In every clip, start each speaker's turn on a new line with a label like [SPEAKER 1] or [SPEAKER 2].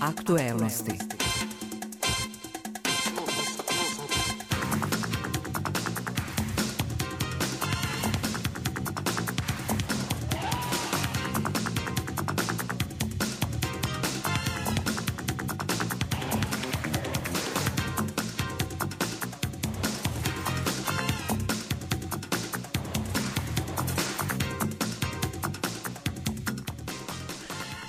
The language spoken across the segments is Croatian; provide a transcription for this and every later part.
[SPEAKER 1] Aktuelnosti.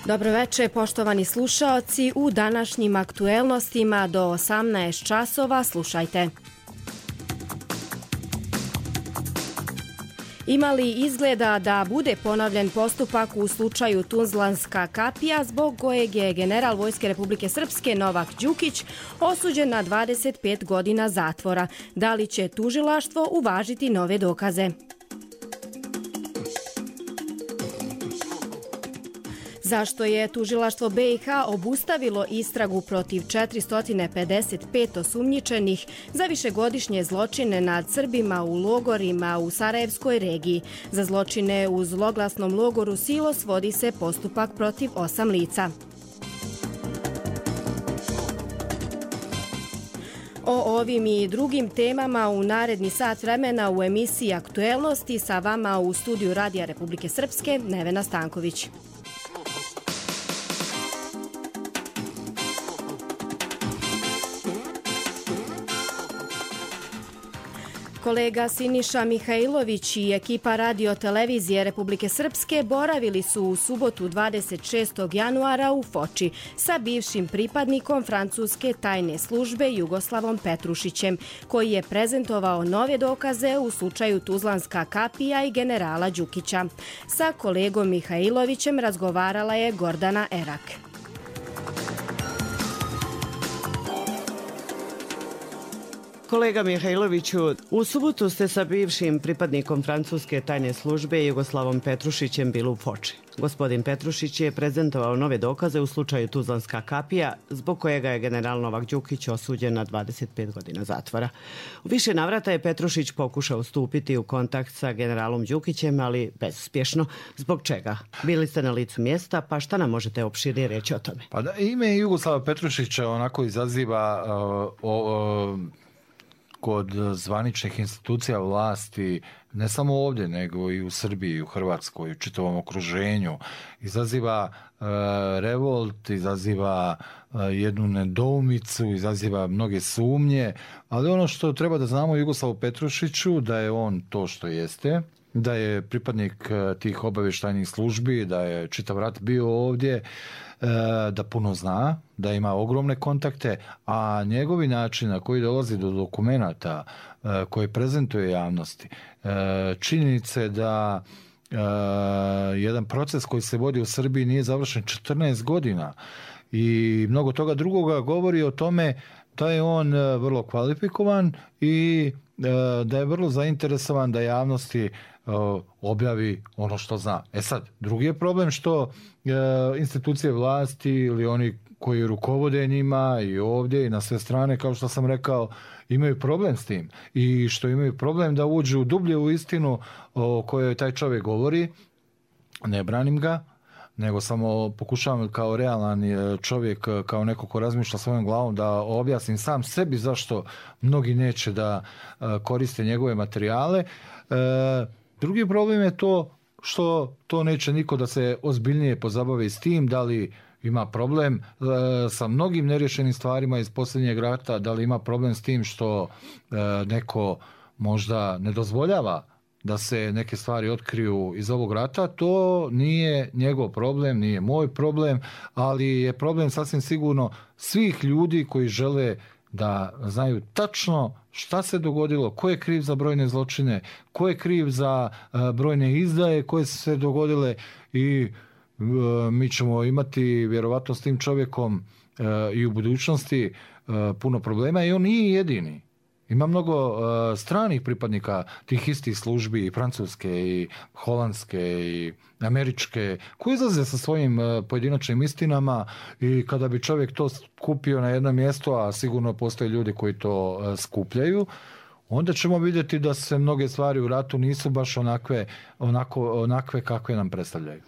[SPEAKER 2] Dobro večer, poštovani slušaoci. U današnjim aktuelnostima do 18 časova slušajte. Ima li izgleda da bude ponovljen postupak u slučaju Tuzlanska kapija zbog kojeg je general Vojske Republike Srpske Novak Đukić osuđen na 25 godina zatvora? Da li će tužilaštvo uvažiti nove dokaze? Zašto je tužilaštvo BiH obustavilo istragu protiv 455 osumnjičenih za višegodišnje zločine nad Srbima u logorima u Sarajevskoj regiji? Za zločine u zloglasnom logoru Silos vodi se postupak protiv 8 lica. O ovim i drugim temama u naredni sat vremena u emisiji Aktuelnosti sa vama u studiju Radija Republike Srpske Nevena Stanković. Kolega Siniša Mihajlović i ekipa Radio televizije Republike Srpske boravili su u subotu 26. januara u Foči sa bivšim pripadnikom francuske tajne službe Jugoslavom Petrušićem, koji je prezentovao nove dokaze u slučaju Tuzlanska kapija i generala Đukića. Sa kolegom Mihajlovićem razgovarala je Gordana Erak.
[SPEAKER 3] Kolega Mihajloviću, u subotu ste sa bivšim pripadnikom francuske tajne službe Jugoslavom Petrušićem bili u Foči. Gospodin Petrušić je prezentovao nove dokaze u slučaju Tuzlanska kapija, zbog kojega je general Novak Đukić osuđen na 25 godina zatvora. U više navrata je Petrušić pokušao stupiti u kontakt sa generalom Đukićem, ali bezuspješno. Zbog čega? Bili ste na licu mjesta, pa šta nam možete opširnije reći o tome?
[SPEAKER 4] Pa da, ime Jugoslava Petrušića onako izaziva kod zvaničnih institucija vlasti, ne samo ovdje, nego i u Srbiji, u Hrvatskoj, u čitavom okruženju. Izaziva revolt, izaziva jednu nedoumicu, izaziva mnoge sumnje, ali ono što treba da znamo o Jugoslavu Petrušiću, da je on to što jeste, da je pripadnik tih obavještajnih službi, da je čitav rat bio ovdje, da puno zna, da ima ogromne kontakte, a njegovi način na koji dolazi do dokumenata koje prezentuje javnosti, činjenice da jedan proces koji se vodi u Srbiji nije završen 14 godina i mnogo toga drugoga govori o tome da je on vrlo kvalifikovan i da je vrlo zainteresovan da javnosti objavi ono što zna. Sad, drugi je problem što institucije vlasti ili oni koji rukovode njima i ovdje i na sve strane, kao što sam rekao, imaju problem s tim i što imaju problem da uđu dublje u istinu o kojoj taj čovjek govori. Ne branim ga, nego samo pokušavam kao realan čovjek, kao neko ko razmišlja svojom glavom, da objasnim sam sebi zašto mnogi neće da koriste njegove materijale. Drugi problem je to što to neće niko da se ozbiljnije pozabavi s tim, da li ima problem sa mnogim nerješenim stvarima iz posljednjeg rata, da li ima problem s tim što neko možda ne dozvoljava da se neke stvari otkriju iz ovog rata. To nije njegov problem, nije moj problem, ali je problem sasvim sigurno svih ljudi koji žele da znaju tačno šta se dogodilo, ko je kriv za brojne zločine, ko je kriv za brojne izdaje koje su se dogodile i mi ćemo imati vjerovatno s tim čovjekom i u budućnosti puno problema i on nije jedini. Ima mnogo stranih pripadnika tih istih službi, i francuske, i holandske, i američke, koji izlaze sa svojim pojedinačnim istinama i kada bi čovjek to skupio na jedno mjesto, a sigurno postoje ljudi koji to skupljaju, onda ćemo vidjeti da se mnoge stvari u ratu nisu baš onakve kakve nam predstavljaju.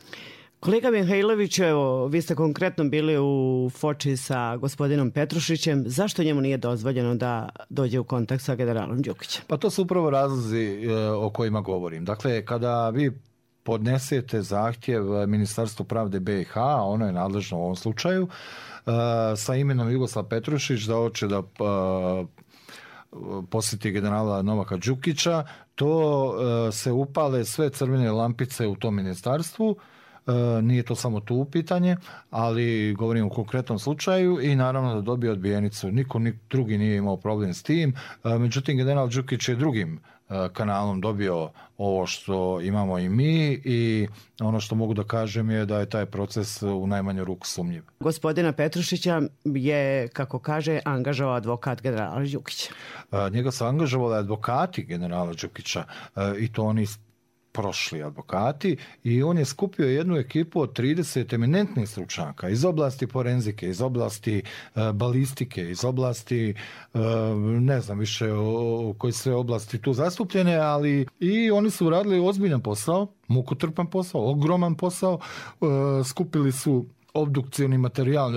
[SPEAKER 3] Kolega Mihajlović, evo, vi ste konkretno bili u Foči sa gospodinom Petrušićem. Zašto njemu nije dozvoljeno da dođe u kontakt sa generalom Đukićem?
[SPEAKER 4] Pa to su upravo razlozi o kojima govorim. Dakle, kada vi podnesete zahtjev Ministarstvu pravde BiH, ono je nadležno u ovom slučaju, sa imenom Jugoslav Petrušić da hoće da posjeti generala Novaka Đukića, to se upale sve crvene lampice u tom ministarstvu. Nije to samo tu pitanje, ali govorim u konkretnom slučaju i naravno da dobije odbijenicu. Niko drugi nije imao problem s tim. Međutim, general Đukić je drugim kanalom dobio ovo što imamo i mi i ono što mogu da kažem je da je taj proces u najmanju ruku sumnjiv.
[SPEAKER 3] Gospodina Petrušića je, kako kaže, angažovao advokat generala Đukića.
[SPEAKER 4] Njega su angažovali advokati generala Đukića i to oni prošli advokati i on je skupio jednu ekipu od 30 eminentnih stručnjaka iz oblasti forenzike, iz oblasti balistike, iz oblasti ne znam više o koje sve oblasti tu zastupljene, ali i oni su radili ozbiljan posao, mukotrpan posao, ogroman posao, skupili su obdukcioni materijal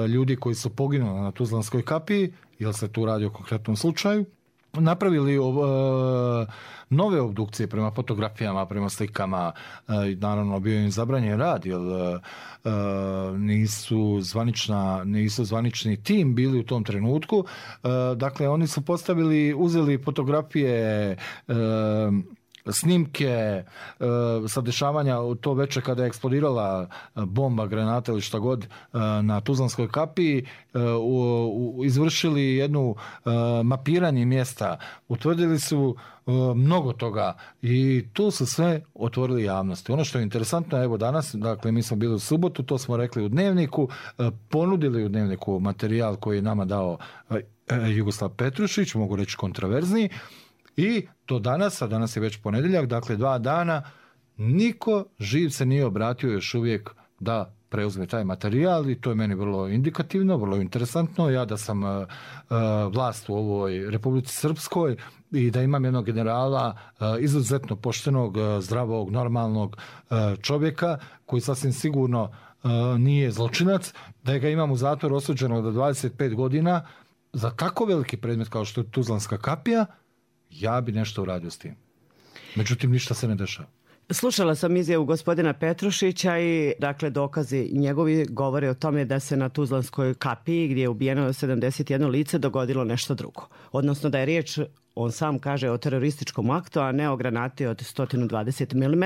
[SPEAKER 4] ljudi koji su poginuli na Tuzlanskoj kapiji, jer se tu radi o konkretnom slučaju, napravili nove obdukcije prema fotografijama, prema slikama, naravno bio im zabranjen rad, jer nisu zvanični tim bili u tom trenutku. Dakle, oni su uzeli fotografije, snimke sa dešavanja to večer kada je eksplodirala bomba, granata ili šta god na Tuzlanskoj kapiji, izvršili jednu mapiranje mjesta, utvrdili su mnogo toga i tu su sve otvorili javnosti. Ono što je interesantno, evo danas, dakle mi smo bili u subotu, to smo rekli u Dnevniku, ponudili u Dnevniku materijal koji je nama dao Jugoslav Petrušić, mogu reći kontraverzni, i do danas, a danas je već ponedjeljak, dakle 2 dana, niko živ se nije obratio još uvijek da preuzme taj materijal i to je meni vrlo indikativno, vrlo interesantno. Ja da sam vlast u ovoj Republici Srpskoj i da imam jednog generala izuzetno poštenog, zdravog, normalnog čovjeka koji sasvim sigurno nije zločinac, da ga imam u zatvoru osuđenog do 25 godina za tako veliki predmet kao što je Tuzlanska kapija, ja bi nešto uradio s tim. Međutim, ništa se ne dešava.
[SPEAKER 3] Slušala sam izjavu gospodina Petrušića i dakle dokazi njegovi govore o tome da se na Tuzlanskoj kapiji gdje je ubijeno 71 lice dogodilo nešto drugo. Odnosno da je riječ, on sam kaže, o terorističkom aktu, a ne o granati od 120 mm,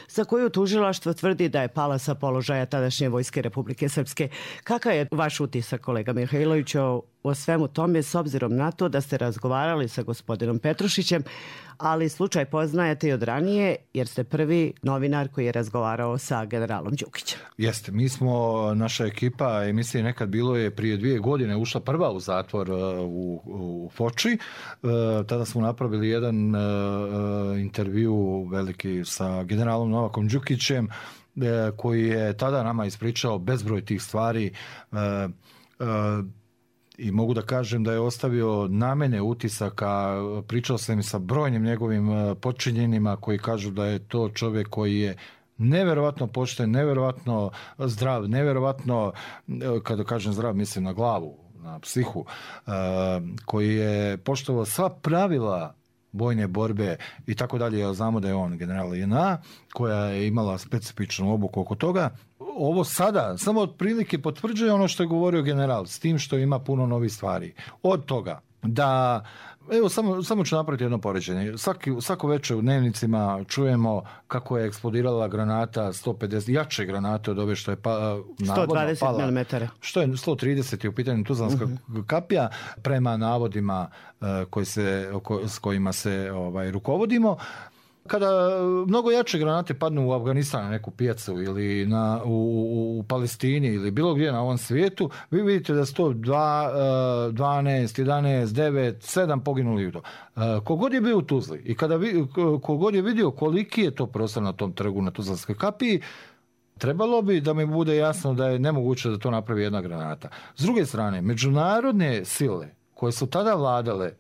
[SPEAKER 3] za koju tužilaštvo tvrdi da je pala sa položaja tadašnje vojske Republike Srpske. Kakav je vaš utisak, kolega Mihajlović, o svemu tome, s obzirom na to da ste razgovarali sa gospodinom Petrušićem, ali slučaj poznajete i od ranije, jer ste prvi novinar koji je razgovarao sa generalom Đukićem.
[SPEAKER 4] Jeste, mi smo, naša ekipa, emisije Nekad bilo je prije 2 godine ušla prva u zatvor u Foči. Tada smo napravili jedan intervju veliki sa generalom Novakom Đukićem, koji je tada nama ispričao bezbroj tih stvari, i mogu da kažem da je ostavio na mene utisaka. Pričao sam i sa brojnim njegovim podčinjenima koji kažu da je to čovjek koji je nevjerovatno pošten, nevjerovatno zdrav, nevjerovatno, kada kažem zdrav mislim na glavu, na psihu, koji je poštovao sva pravila vojne borbe i tako dalje, jer znamo da je on general JNA koja je imala specifičnu obuku oko toga. Ovo sada samo otprilike potvrđuje ono što je govorio general, s tim što ima puno novih stvari. Od toga da, evo samo ću napraviti jedno poređenje. Svako večer u Dnevnicima čujemo kako je eksplodirala granata 150, jače granate od ove što je navodno
[SPEAKER 3] 120 mm.
[SPEAKER 4] Što je 130 je u pitanju Tuzlanska kapija, prema navodima s kojima se rukovodimo. Kada mnogo jače granate padnu u Afganistanu, neku pijacu ili u Palestini ili bilo gdje na ovom svijetu, vi vidite da su to 12, 11, 9, 7 poginuli u to. Kogod je bio u Tuzli i kogod je vidio koliki je to prostor na tom trgu na Tuzlanskoj kapiji, trebalo bi da mi bude jasno da je nemoguće da to napravi jedna granata. S druge strane, međunarodne sile koje su tada vladale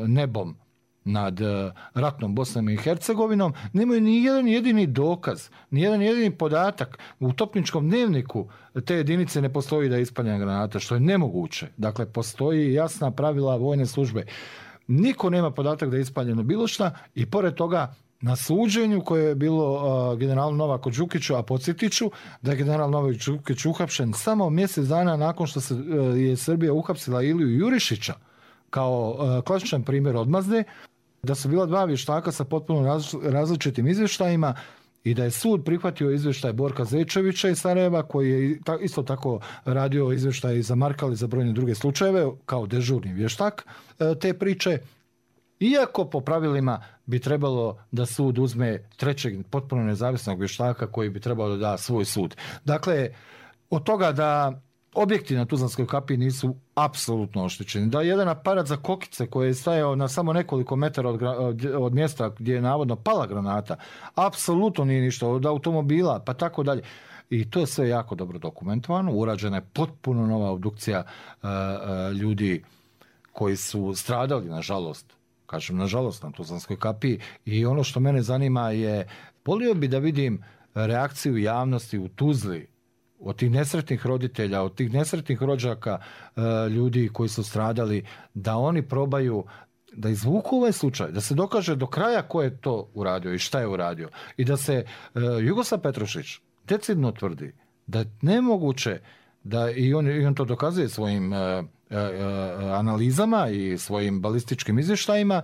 [SPEAKER 4] nebom nad ratnom Bosnom i Hercegovinom, nemaju ni jedan jedini dokaz, ni jedan jedini podatak. U topničkom dnevniku te jedinice ne postoji da je ispaljena granata, što je nemoguće. Dakle, postoji jasna pravila vojne službe. Niko nema podatak da je ispaljeno bilo šta i pored toga na suđenju koje je bilo generalu Novaku Đukiću, a podsjetit ću da je general Novak Đukić uhapšen samo mjesec dana nakon što je Srbija uhapsila Iliju Jurišića kao klasičan primjer odmazde, da su bila dva vještaka sa potpuno različitim izvještajima i da je sud prihvatio izvještaj Borka Zečevića iz Sarajeva, koji je isto tako radio izvještaj za Markal i za brojne druge slučajeve kao dežurni vještak te priče. Iako po pravilima bi trebalo da sud uzme trećeg potpuno nezavisnog vještaka koji bi trebalo da da svoj sud. Dakle, od toga da objekti na Tuzlanskoj kapiji nisu apsolutno oštećeni, da jedan aparat za kokice koji je stajao na samo nekoliko metara od mjesta gdje je navodno pala granata, apsolutno nije ništa, od automobila pa tako dalje. I to je sve jako dobro dokumentovano. Urađena je potpuno nova obdukcija ljudi koji su stradali, nažalost, kažem nažalost, na Tuzlanskoj kapiji. I ono što mene zanima je, volio bi da vidim reakciju javnosti u Tuzli od tih nesretnih roditelja, od tih nesretnih rođaka ljudi koji su stradali, da oni probaju da izvuku ovaj slučaj, da se dokaže do kraja ko je to uradio i šta je uradio. I da se Jugoslav Petrušić decidno tvrdi da je nemoguće da i on to dokazuje svojim analizama i svojim balističkim izvještajima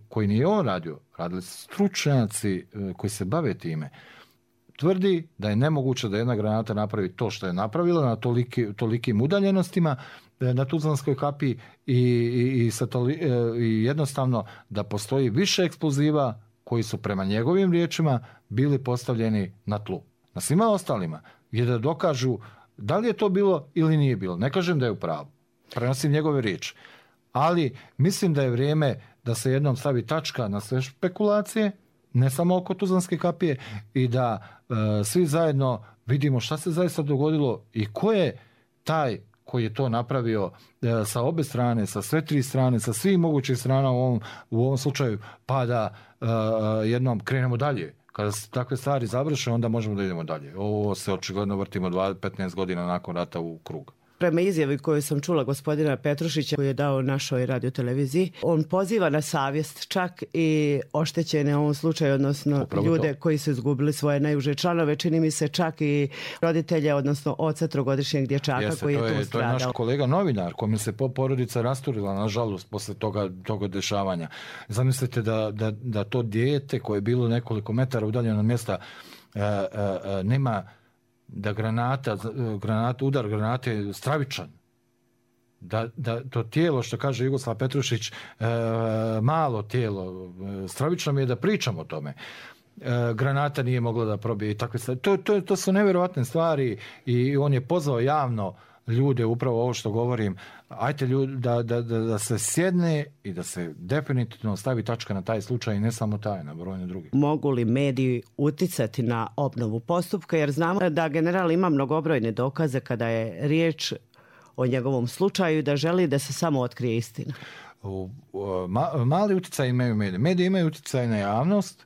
[SPEAKER 4] koji nije on radio, radili su stručnjaci koji se bave time. Tvrdi da je nemoguće da jedna granata napravi to što je napravila na tolikim udaljenostima na Tuzlanskoj kapiji i jednostavno da postoji više eksploziva koji su prema njegovim riječima bili postavljeni na tlu. Na svima ostalima je da dokažu da li je to bilo ili nije bilo. Ne kažem da je u pravu. Prenosim njegove riječi. Ali mislim da je vrijeme da se jednom stavi tačka na sve špekulacije, ne samo oko Tuzlanske kapije, i da svi zajedno vidimo šta se zaista dogodilo i ko je taj koji je to napravio sa obe strane, sa sve tri strane, sa svih mogućih strana u ovom slučaju, pa da jednom krenemo dalje. Kada se takve stvari završe, onda možemo da idemo dalje. Ovo se očigledno vrtimo 15 godina nakon rata u krug.
[SPEAKER 3] Prema izjavi koju sam čula gospodina Petrušića koji je dao našoj radioteleviziji, on poziva na savjest čak i oštećene u ovom slučaju, odnosno ljude koji su izgubili svoje najuže članove, čini mi se čak i roditelje, odnosno oca trogodišnjeg dječaka koji je tu stradao.
[SPEAKER 4] To je naš kolega novinar kome se porodica rasturila, nažalost, posle toga dešavanja. Zamislite da to dijete koje je bilo nekoliko metara udaljeno od mjesta nema, da udar granate je stravičan. Da to tijelo, što kaže Jugoslav Petrušić, malo tijelo, stravično mi je da pričam o tome. Granata nije mogla da probije i takve stvari. To su nevjerojatne stvari i on je pozvao javno ljude, upravo ovo što govorim, ajte ljudi da se sjedne i da se definitivno stavi tačka na taj slučaj i ne samo taj, na brojne druge.
[SPEAKER 3] Mogu li mediji uticati na obnovu postupka, jer znamo da general ima mnogobrojne dokaze kada je riječ o njegovom slučaju i da želi da se samo otkrije istina?
[SPEAKER 4] Mali utjecaj imaju mediji. Mediji imaju utjecaj na javnost.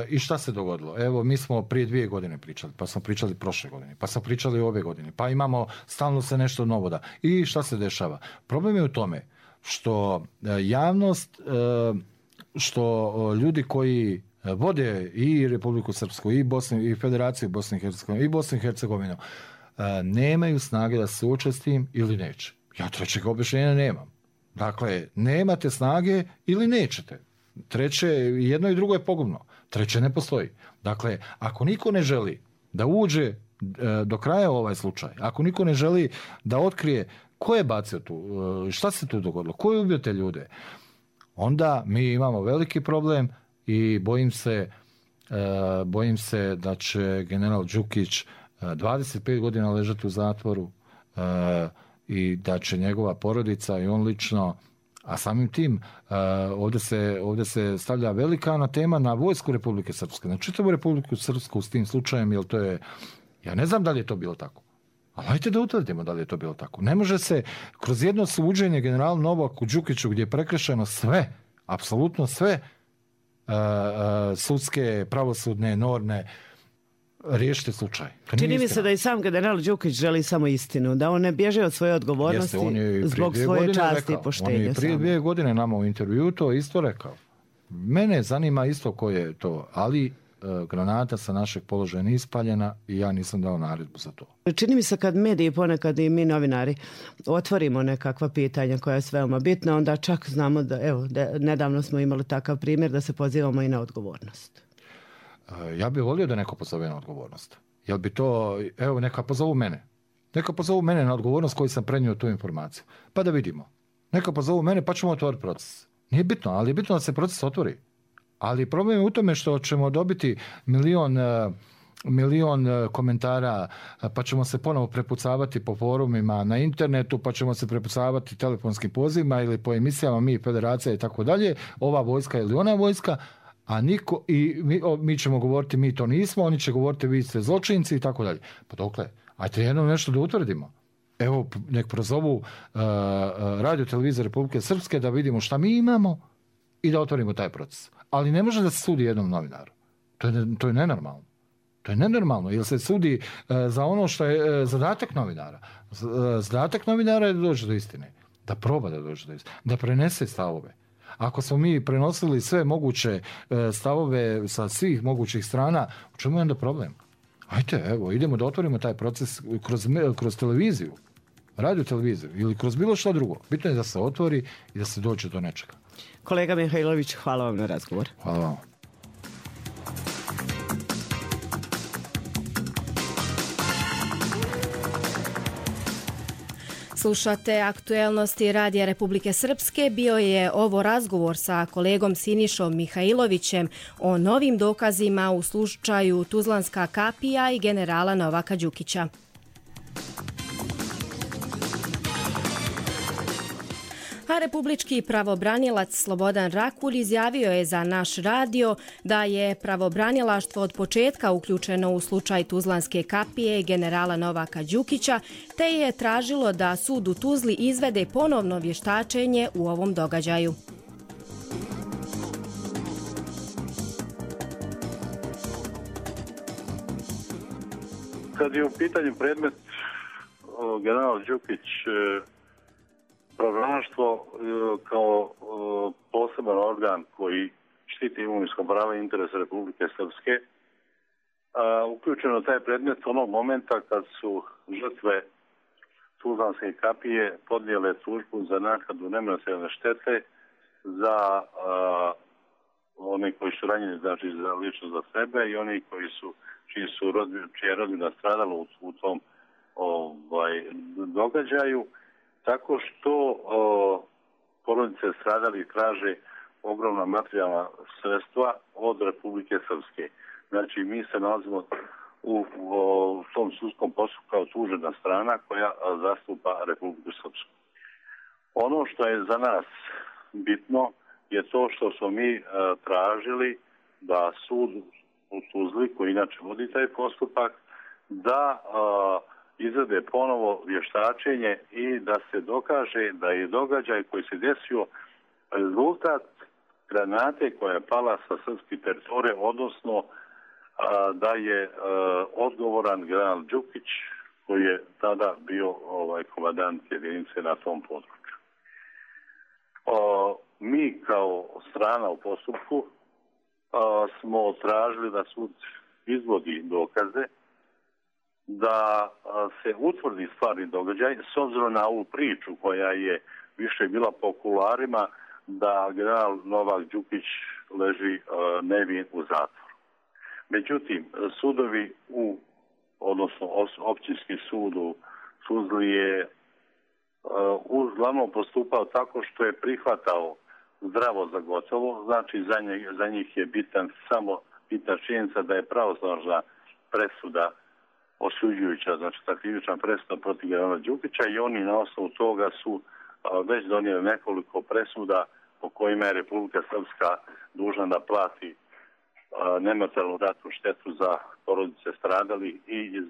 [SPEAKER 4] I šta se dogodilo? Evo, mi smo prije 2 godine pričali, pa smo pričali prošle godine, pa smo pričali ove godine, pa imamo stalno se nešto novo da. I šta se dešava? Problem je u tome što javnost, što ljudi koji vode i Republiku Srpsku, i Federaciju Bosne i Hercegovine, i Bosnu i Hercegovinu, nemaju snage da se suoče s tim ili neće. Ja trećeg objašnjenja nemam. Dakle, nemate snage ili nećete. Treće, jedno i drugo je pogubno. Treće ne postoji. Dakle, ako niko ne želi da uđe do kraja ovaj slučaj, ako niko ne želi da otkrije ko je bacio tu, šta se tu dogodilo, ko je ubio te ljude, onda mi imamo veliki problem i bojim se da će general Đukić 25 godina ležati u zatvoru i da će njegova porodica i on lično, a samim tim ovdje se stavlja velika tema na vojsku Republike Srpske, na čitavu Republiku Srpsku s tim slučajem, jer to je, ja ne znam da li je to bilo tako. Ali hajte da utvrdimo da li je to bilo tako. Ne može se kroz jedno suđenje generalu Novaku Đukiću gdje je prekršeno sve, Apsolutno sve sudske, pravosudne norme riješiti slučaj.
[SPEAKER 3] Čini mi se da i sam general Đukić želi samo istinu, da on ne bježe od svoje odgovornosti zbog svoje časti i poštenja.
[SPEAKER 4] On je prije 2 godine nama u intervju to isto rekao. Mene zanima isto ko je to, ali granata sa našeg položaja nije ispaljena i ja nisam dao naredbu za to.
[SPEAKER 3] Čini mi se kad mediji, ponekad i mi novinari, otvorimo nekakva pitanja koja je veoma bitna, onda čak znamo da, nedavno smo imali takav primjer da se pozivamo i na odgovornost.
[SPEAKER 4] Ja bih volio da neko pozove na odgovornost. Jel bi to, neka pozovu mene. Neka pozovu mene na odgovornost koji sam prenio tu informaciju. Pa da vidimo. Neka pozovu mene pa ćemo otvoriti proces. Nije bitno, ali je bitno da se proces otvori. Ali problem je u tome što ćemo dobiti milion komentara, pa ćemo se ponovo prepucavati po forumima na internetu, pa ćemo se prepucavati telefonskim pozivima ili po emisijama mi, federacija i tako dalje, ova vojska ili ona vojska, a mi ćemo govoriti mi to nismo, oni će govoriti vi ste zločinci i tako dalje. Pa dokle, ajte jedno nešto da utvrdimo. Evo, nek prozovu Radio televizije Republike Srpske da vidimo šta mi imamo i da otvorimo taj proces. Ali ne može da se sudi jednom novinaru. To je nenormalno. To je nenormalno, jer se sudi za ono što je zadatak novinara. Zadatak novinara je da dođe do istine. Da proba da dođe do istine. Da prenese stavove. Ako smo mi prenosili sve moguće stavove sa svih mogućih strana, u čemu je onda problem? Ajde, evo, idemo da otvorimo taj proces kroz televiziju, radio televiziju ili kroz bilo što drugo. Bitno je da se otvori i da se dođe do nečega.
[SPEAKER 3] Kolega Mihajlović, hvala vam na razgovor.
[SPEAKER 4] Hvala vam.
[SPEAKER 2] Slušate aktuelnosti Radija Republike Srpske. Bio je ovo razgovor sa kolegom Sinišom Mihajlovićem o novim dokazima u slučaju Tuzlanska kapija i generala Novaka Đukića. A republički pravobranilac Slobodan Rakulj izjavio je za naš radio da je pravobranilaštvo od početka uključeno u slučaj Tuzlanske kapije i generala Novaka Đukića, te je tražilo da sud u Tuzli izvede ponovno vještačenje u ovom događaju.
[SPEAKER 1] Kad je u pitanju predmet general Đukić, pravobranilaštvo kao poseban organ koji štiti imovinsko pravo i interese Republike Srpske uključeno taj predmet onog momenta kad su žrtve Tuzlanske kapije podnijele tužbu za naknadu nematerijalne štete za oni koji su ranjeni, znači za lično za sebe i oni čija je rodbina stradala u tom događaju. Tako što porodice stradali traže ogromna materijalna sredstva od Republike Srpske. Znači, mi se nalazimo u tom sudskom postupku kao tužena strana koja zastupa Republiku Srpsku. Ono što je za nas bitno je to što smo mi tražili da sud u Tuzli, koji inače vodi taj postupak, da izvede ponovo vještačenje i da se dokaže da je događaj koji se desio rezultat granate koja je pala sa srpske teritorije, odnosno da je odgovoran general Đukić koji je tada bio komandant jedinice na tom području. Mi kao strana u postupku smo tražili da sud izvodi dokaze, da se utvrdi stvarni događaj s obzirom na ovu priču koja je više bila po kularima da general Novak Đukić leži nevin u zatvoru. Međutim, sudovi odnosno općinski sud u Tuzli je uglavnom postupao tako što je prihvatao zdravo za gotovo, znači za njih je bitna činjenica da je pravosnažna presuda osuđujuća, znači ta krivična presuda protiv generala Đukića i oni na osnovu toga su već donijeli nekoliko presuda po kojima je Republika Srpska dužna da plati nematerijalnu ratnu štetu za porodice stradali i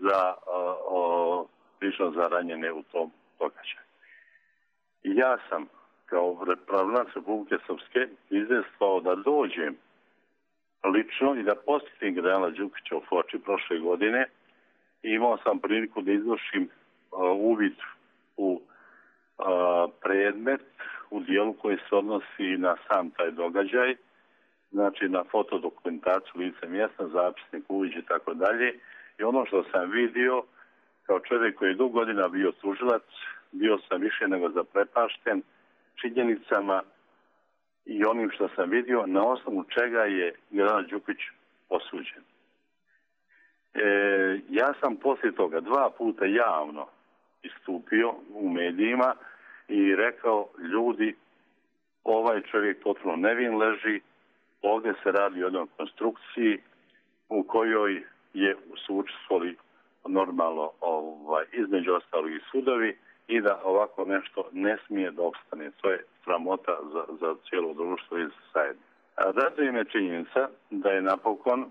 [SPEAKER 1] lično za ranjene u tom događaju. Ja sam kao pravonac Republike Srpske izvestvao da dođem lično i da posjetim generala Đukića u Foči prošle godine. I imao sam priliku da izvršim uvid u predmet u dijelu koji se odnosi na sam taj događaj, znači na fotodokumentaciju lice mjesta, zapisnik, uviđ i tako dalje. I ono što sam vidio, kao čovjek koji je dugo godina bio tužilac, bio sam više nego zaprepašten činjenicama i onim što sam vidio, na osnovu čega je general Đukić osuđen. Ja sam poslije toga 2 puta javno istupio u medijima i rekao, ljudi, ovaj čovjek potpuno nevin leži, ovdje se radi o jednoj konstrukciji u kojoj su učestvovali normalno između ostalih i sudovi i da ovako nešto ne smije da opstane. To je sramota za cijelo društvo i za zajednicu. Raduje me činjenica da je napokon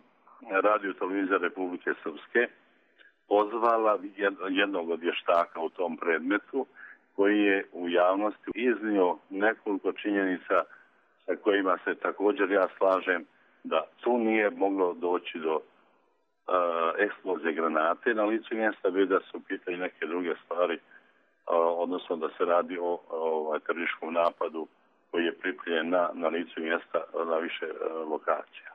[SPEAKER 1] Radio televizija Republike Srpske pozvala jednog od vještaka u tom predmetu koji je u javnosti iznio nekoliko činjenica sa kojima se također ja slažem da tu nije moglo doći do eksplozije granate na licu mjesta, već da su pitali neke druge stvari, odnosno da se radi o terorističkom napadu koji je pripremljen na licu mjesta na više lokacija.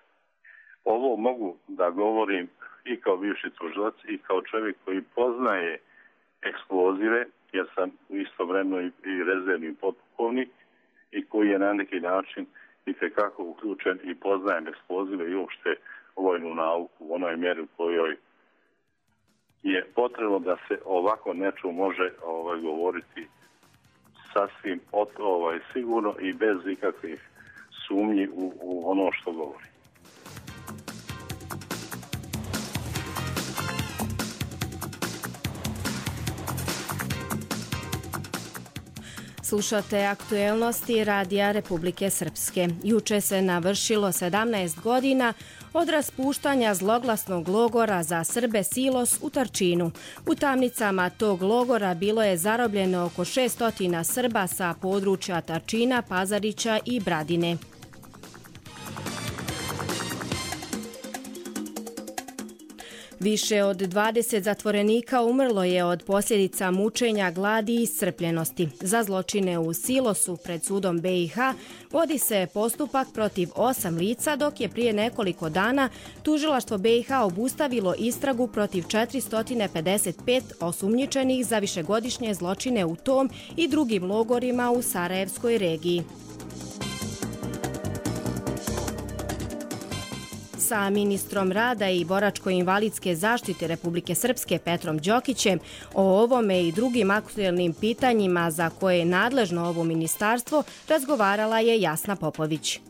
[SPEAKER 1] Ovo mogu da govorim i kao bivši tužilac i kao čovjek koji poznaje eksplozive, jer sam istovremeno i rezervni potpukovnik i koji je na neki način itekako uključen i poznajem eksplozive i uopšte vojnu nauku u onoj mjeri u kojoj je potrebno da se ovako nečemu može govoriti sasvim sigurno i bez ikakvih sumnji u ono što govori.
[SPEAKER 2] Slušate aktuelnosti Radija Republike Srpske. Juče se navršilo 17 godina od raspuštanja zloglasnog logora za Srbe Silos u Tarčinu. U tamnicama tog logora bilo je zarobljeno oko 600 Srba sa područja Tarčina, Pazarića i Bradine. Više od 20 zatvorenika umrlo je od posljedica mučenja, gladi i iscrpljenosti. Za zločine u Silosu pred sudom BiH vodi se postupak protiv 8 lica, dok je prije nekoliko dana tužilaštvo BiH obustavilo istragu protiv 455 osumnjičenih za višegodišnje zločine u tom i drugim logorima u Sarajevskoj regiji. Sa ministrom rada i boračko-invalidske zaštite Republike Srpske Petrom Đokićem o ovome i drugim aktuelnim pitanjima za koje je nadležno ovo ministarstvo razgovarala je Jasna Popović.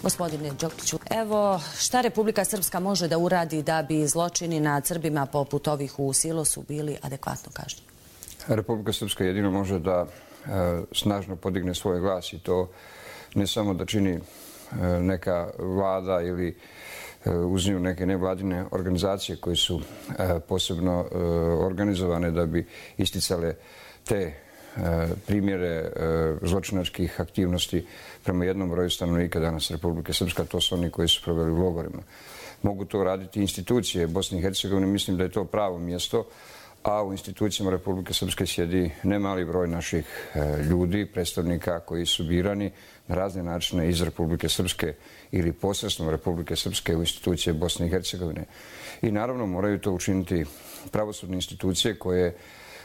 [SPEAKER 5] Gospodine Đokiću, evo šta Republika Srpska može da uradi da bi zločini nad Srbima poput ovih u Silosu bili adekvatno kažnjeni?
[SPEAKER 6] Republika Srpska jedino može da snažno podigne svoj glas i to ne samo da čini neka vlada ili uz nju neke nevladine organizacije koje su posebno organizovane da bi isticale te primjere zločinačkih aktivnosti prema jednom broju stanovnika danas Republike Srpska, to su oni koji su proveli u logorima. Mogu to raditi institucije Bosne i Hercegovine, mislim da je to pravo mjesto, a u institucijama Republike Srpske sjedi nemali broj naših ljudi, predstavnika koji su birani na razne načine iz Republike Srpske ili posredstvom Republike Srpske u institucije Bosne i Hercegovine. I naravno moraju to učiniti pravosudne institucije koje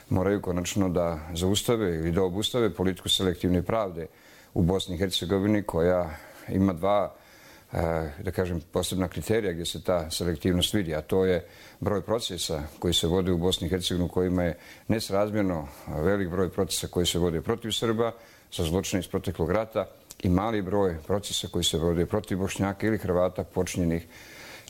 [SPEAKER 6] moraju konačno da zaustave ili da obustave politiku selektivne pravde u Bosni i Hercegovini koja ima dva, da kažem, posebna kriterija gdje se ta selektivnost vidi, a to je broj procesa koji se vode u Bosni i Hercegovini, kojima je nesrazmjerno velik broj procesa koji se vode protiv Srba za zločine iz proteklog rata i mali broj procesa koji se vode protiv Bošnjaka ili Hrvata počinjenih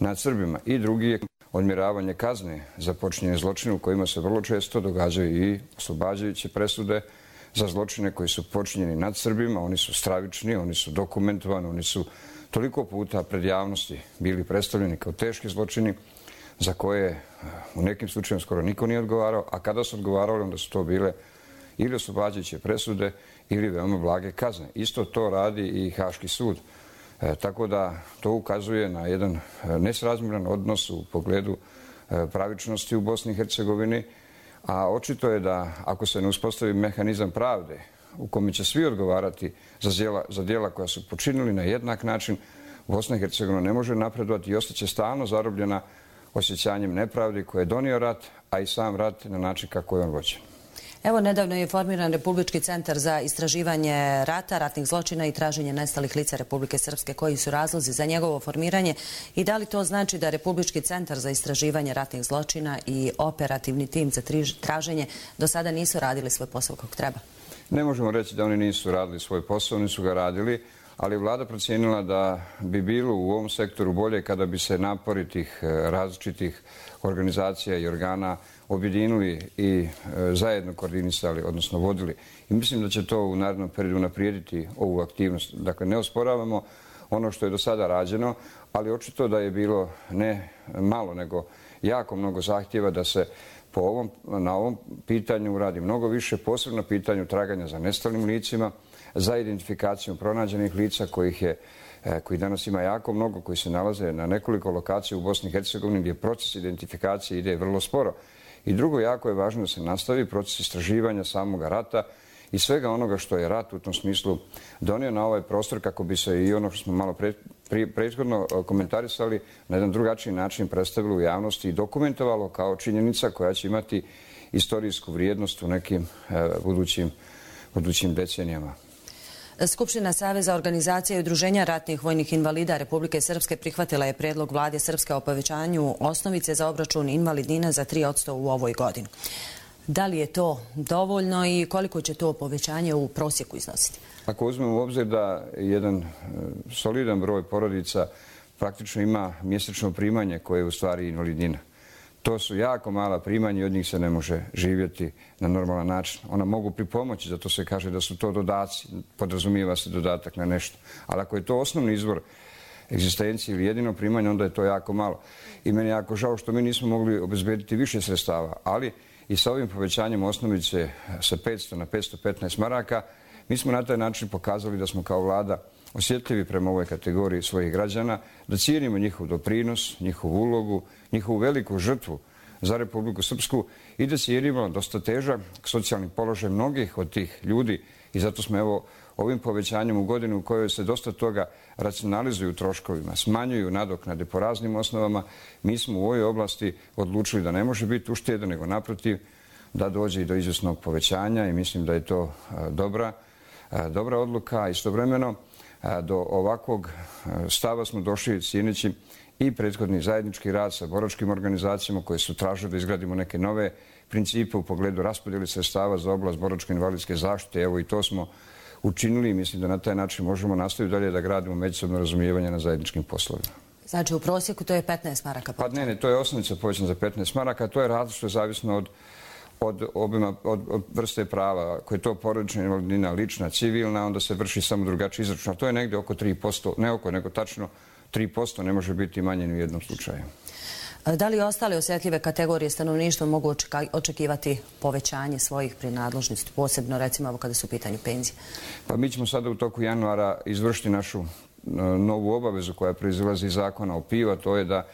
[SPEAKER 6] nad Srbima. I drugi je odmjeravanje kazne za počinjene zločine u kojima se vrlo često događaju i oslobađajuće presude za zločine koji su počinjeni nad Srbima. Oni su stravični, oni su dokumentovani, oni su toliko puta pred javnosti bili predstavljeni kao teški zločini za koje u nekim slučajima skoro niko nije odgovarao, a kada su odgovarali onda su to bile ili oslobađajuće presude ili veoma blage kazne. Isto to radi i Haški sud. Tako da to ukazuje na jedan nesrazmjeran odnos u pogledu pravičnosti u Bosni i Hercegovini, a očito je da ako se ne uspostavi mehanizam pravde u kome će svi odgovarati za djela koja su počinili na jednak način, Bosna i Hercegovina ne može napredovati i ostaće stalno zarobljena osjećanjem nepravdi koje je donio rat, a i sam rat na način kako je on vođen.
[SPEAKER 5] Evo, nedavno je formiran Republički centar za istraživanje rata, ratnih zločina i traženje nestalih lica Republike Srpske. Koji su razlozi za njegovo formiranje i da li to znači da Republički centar za istraživanje ratnih zločina i operativni tim za traženje do sada nisu radili svoj posao kako treba?
[SPEAKER 6] Ne možemo reći da oni nisu radili svoj posao, nisu ga radili, ali vlada procijenila da bi bilo u ovom sektoru bolje kada bi se napori tih različitih organizacija i organa objedinili i zajedno koordinisali, odnosno vodili. I mislim da će to u narednom periodu unaprijediti ovu aktivnost. Dakle, ne osporavamo ono što je do sada rađeno, ali očito da je bilo ne malo, nego jako mnogo zahtjeva da se na ovom pitanju uradi mnogo više, posebno na pitanju traganja za nestalim licima, za identifikacijom pronađenih lica koji danas ima jako mnogo, koji se nalaze na nekoliko lokacija u Bosni i Hercegovini gdje proces identifikacije ide vrlo sporo. I drugo, jako je važno da se nastavi proces istraživanja samoga rata i svega onoga što je rat u tom smislu donio na ovaj prostor kako bi se i ono što smo malo prethodno komentarisali na jedan drugačiji način predstavilo u javnosti i dokumentovalo kao činjenica koja će imati istorijsku vrijednost u nekim budućim decenijama.
[SPEAKER 5] Skupština Saveza organizacija i udruženja ratnih vojnih invalida Republike Srpske prihvatila je predlog vlade Srpske o povećanju osnovice za obračun invalidnina za 3% u ovoj godini. Da li je to dovoljno i koliko će to povećanje u prosjeku iznositi?
[SPEAKER 6] Ako uzmemo u obzir da jedan solidan broj porodica praktično ima mjesečno primanje koje je u stvari invalidnina. To su jako mala primanja i od njih se ne može živjeti na normalan način. Ona mogu pripomoći, zato se kaže da su to dodaci, podrazumijeva se dodatak na nešto. Ali ako je to osnovni izvor egzistencije ili jedino primanje, onda je to jako malo. I meni je jako žao što mi nismo mogli obezbediti više sredstava, ali i sa ovim povećanjem osnovice sa 500 na 515 maraka, mi smo na taj način pokazali da smo kao vlada osjetljivi prema ovoj kategoriji svojih građana, da cijenimo njihov doprinos, njihovu ulogu, njihovu veliku žrtvu za Republiku Srpsku i da cijenimo dosta težak socijalni položaj mnogih od tih ljudi i zato smo evo ovim povećanjem u godinu u kojoj se dosta toga racionalizuju troškovima, smanjuju nadoknade po raznim osnovama, mi smo u ovoj oblasti odlučili da ne može biti ušteda, nego naprotiv da dođe i do izvjesnog povećanja i mislim da je to dobra odluka. Istovremeno do ovakvog stava smo došli cijeneći i prethodni zajednički rad sa boračkim organizacijama koje su tražile da izgradimo neke nove principe u pogledu raspodjeli sredstava za oblast boračko-invalidske zaštite. Evo i to smo učinili i mislim da na taj način možemo nastaviti dalje da gradimo međusobno razumijevanje na zajedničkim poslovima.
[SPEAKER 5] Znači u prosjeku to je 15 maraka?
[SPEAKER 6] Pa ne, to je osnovica povećana za 15 maraka. To je različno zavisno od vrste prava. Ako je to porodična invalidnina, lična, civilna, onda se vrši samo drugačiji izračun. To je negdje oko 3%, ne oko, nego tačno 3%, ne može biti manje ni u jednom slučaju.
[SPEAKER 5] Da li ostale osjetljive kategorije stanovništva mogu očekivati povećanje svojih prinadležnosti, posebno recimo kada su u pitanju penzije? Pa
[SPEAKER 6] mi ćemo sada u toku januara izvršiti našu novu obavezu koja proizilazi iz zakona o PIO, to je da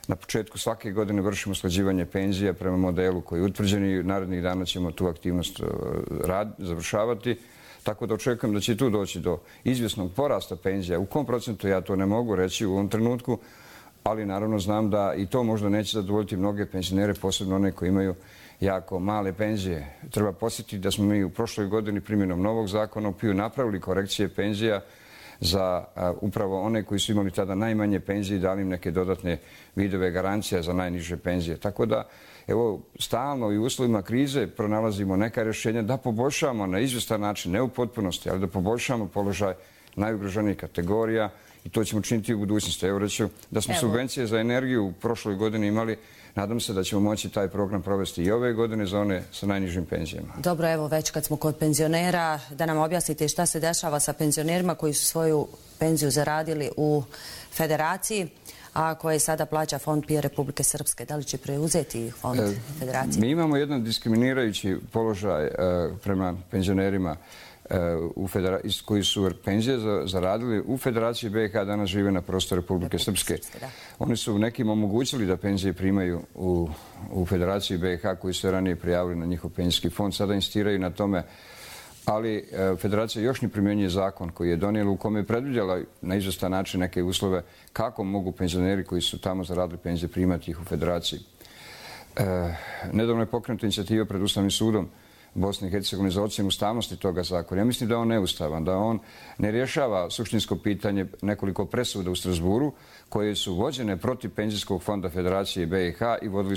[SPEAKER 6] na početku svake godine vršimo usklađivanje penzija prema modelu koji je utvrđen i narednih dana ćemo tu aktivnost završavati. Tako da očekujem da će tu doći do izvjesnog porasta penzija. U kom procentu ja to ne mogu reći u ovom trenutku, ali naravno znam da i to možda neće zadovoljiti mnoge penzionere, posebno one koji imaju jako male penzije. Treba posjetiti da smo mi u prošloj godini primjenom novog zakona o PIO napravili korekcije penzija za upravo one koji su imali tada najmanje penzije i dali im neke dodatne vidove garancija za najniže penzije. Tako da, evo, stalno i u uslovima krize pronalazimo neka rješenja da poboljšamo na izvjestan način, ne u potpunosti, ali da poboljšamo položaj najugroženijih kategorija i to ćemo činiti u budućnosti. Evo reću da smo subvencije za energiju u prošloj godini imali. Nadam se da ćemo moći taj program provesti i ove godine za one sa najnižim penzijama.
[SPEAKER 5] Dobro, evo već kad smo kod penzionera, da nam objasnite šta se dešava sa penzionerima koji su svoju penziju zaradili u federaciji, a koje sada plaća Fond PIO Republike Srpske. Da li će preuzeti Fond Federacije?
[SPEAKER 6] Mi imamo jedan diskriminirajući položaj prema penzionerima koji su penzije zaradili u Federaciji BiH, danas žive na prostoru Republike Srpske. Oni su nekim omogućili da penzije primaju u Federaciji BiH koji su ranije prijavili na njihov penzijski fond. Sada insistiraju na tome, ali Federacija još ne primjenjuje zakon koji je donijela u kome je predvidjela na izvestan način neke uslove kako mogu penzioneri koji su tamo zaradili penzije primati ih u Federaciji. Nedavno je pokrenuta inicijativa pred Ustavnim sudom Bosne i Hercegovine za ocjenu ustavnosti toga zakona. Ja mislim da je on neustavan, da on ne rješava suštinsko pitanje nekoliko presuda u Strasburu koje su vođene protiv penzijskog fonda Federacije BiH i vodili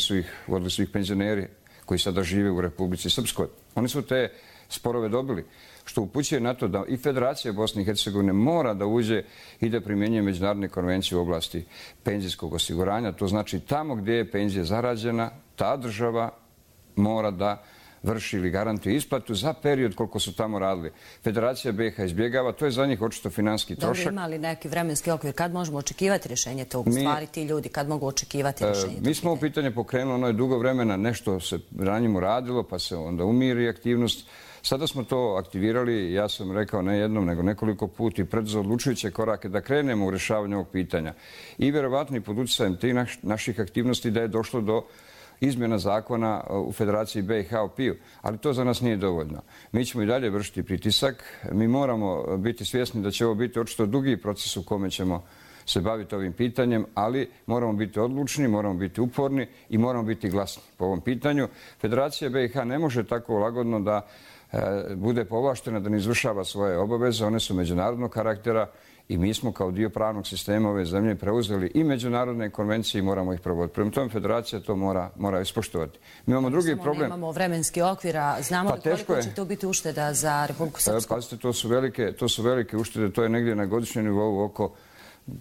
[SPEAKER 6] su ih penzioneri koji sada žive u Republici Srpskoj. Oni su te sporove dobili, što upućuje na to da i Federacija Bosne i Hercegovine mora da uđe i da primjenjuje međunarodne konvencije u oblasti penzijskog osiguranja. To znači tamo gdje je penzija zarađena, ta država mora da vrši ili garantuje isplatu za period koliko su tamo radili. Federacija BiH izbjegava, to je za njih očito finanski trošak.
[SPEAKER 5] Dobro, ima li neki vremenski okvir? Kad možemo očekivati rješenje tog? U stvari ti ljudi, kad mogu očekivati rješenje tog?
[SPEAKER 6] Mi smo ovo pitanje pokrenuli, ono je dugo vremena, nešto se ranjimo radilo, pa se onda umiri aktivnost. Sada smo to aktivirali, ja sam rekao ne jednom, nego nekoliko puta i preduzeo odlučujuće korake da krenemo u rješavanju ovog pitanja. I vjerovatno i pod utjecajem tih naših aktivnosti da je došlo do izmjena zakona u Federaciji BiH o PIO, ali to za nas nije dovoljno. Mi ćemo i dalje vršiti pritisak, mi moramo biti svjesni da će ovo biti očito dugi proces u kome ćemo se baviti ovim pitanjem, ali moramo biti odlučni, moramo biti uporni i moramo biti glasni po ovom pitanju. Federacija BiH ne može tako lagodno da bude povlaštena, da ne izvršava svoje obaveze, one su međunarodnog karaktera i mi smo kao dio pravnog sistema ove zemlje preuzeli i međunarodne konvencije i moramo ih provoditi. Prema tome Federacija to mora ispoštovati. Mi imamo drugi problem.
[SPEAKER 5] Nemamo vremenski okvir, a znamo li koliko će to biti ušteda za Republiku Srpsku?
[SPEAKER 6] Pazite, to su velike uštede, to je negdje na godišnjem nivou oko,